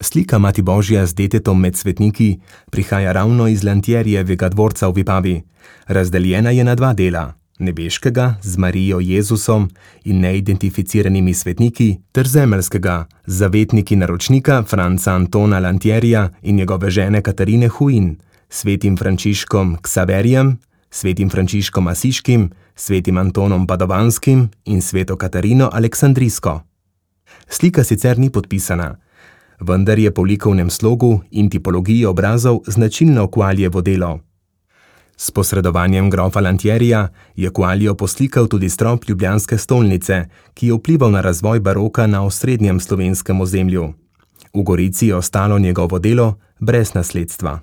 Slika Mati Božja z detetom med svetniki prihaja ravno iz Lantierijevega dvorca v Vipavi. Razdeljena je na dva dela, nebeškega z Marijo Jezusom in neidentificiranimi svetniki, ter zemeljskega z zavetniki naročnika Franca Antona Lantierija in njegove žene Katarine Huin, svetim Frančiškom Ksaverijem, svetim Frančiškom Asiškim, svetim Antonom Padovanskim in sveto Katarino Aleksandrijsko. Slika sicer ni podpisana, vendar je po likovnem slogu in tipologiji obrazov značilno Qualievo delo. S posredovanjem grofa Lantierija je Qualio poslikal tudi strop ljubljanske stolnice, ki je vplival na razvoj baroka na osrednjem slovenskem ozemlju. V Gorici je ostalo njegovo delo brez nasledstva.